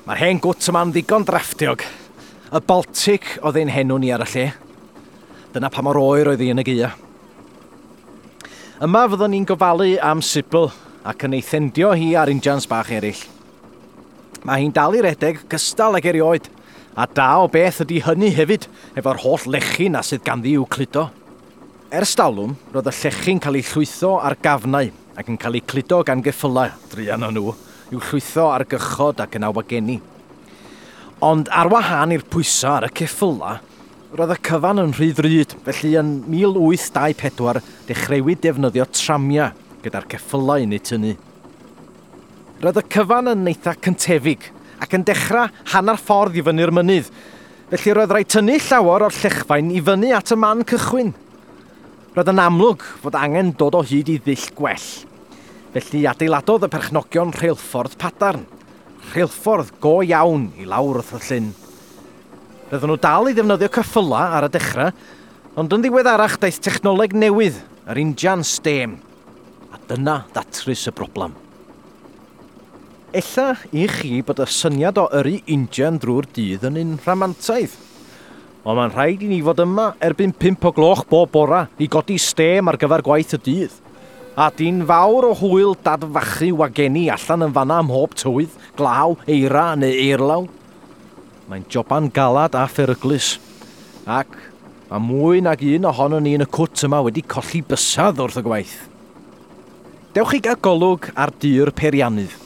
Mae'r hen gwt yma'n ddigon drafftiog. Y Baltic oedd ein henw ni ar y lle. Dyna pa mor oer oedd hi yn y gaea. Yma fyddwn ni'n gofalu am Sybil ac yn ei thendio hi ar injans bach eraill. Mae hi'n dal i redeg gystal ag erioed, a da o beth ydy hynny hefyd efo'r holl lechi na sydd ganddi i'w cludo. Ers talwm, roedd y llechi'n cael eu llwytho ar gafnau ac yn cael eu cludo gan geffylau, druan o nhw, i'w llwytho ar gychod ac yn awageni. Ond ar wahân i'r pwysau ar y ceffylau, roedd y cyfan yn rhy ddrud, felly yn 1824 dechreuwyd defnyddio tramiau gyda'r ceffylau yn eu tynnu. Roedd y cyfan yn eitha cyntefig ac yn dechrau hanner ffordd i fyny'r mynydd, felly roedd rhaid tynnu llawer o'r llechfaen i fyny at y man cychwyn. Roedd yn amlwg fod angen dod o hyd i ddull gwell. Felly adeiladodd y perchnogion rheilffordd Padarn, rheilffordd go iawn i lawr wrth y llyn. Roedden nhw dal i ddefnyddio ceffylau ar y dechrau, ond yn ddiweddarach daeth technoleg newydd, yr injan stêm. A dyna ddatrys y broblem. Ella i chi bod y syniad o yrru injan drwy'r dydd yn un rhamantaidd. Ond mae'n rhaid i ni fod yma erbyn 5 o gloch bob bora i godi stêm ar gyfer gwaith y dydd. A dyn fawr o hwyl dadfachu wageni allan yn fanna ym mhob tywydd, glaw, eira neu eirlaw. Mae'n joban galad a pheryglus. Ac mae mwy nag un ohonon ni yn y cwt yma wedi colli bysedd wrth y gwaith. Dewch i gael golwg ar dŷ'r peiriannydd.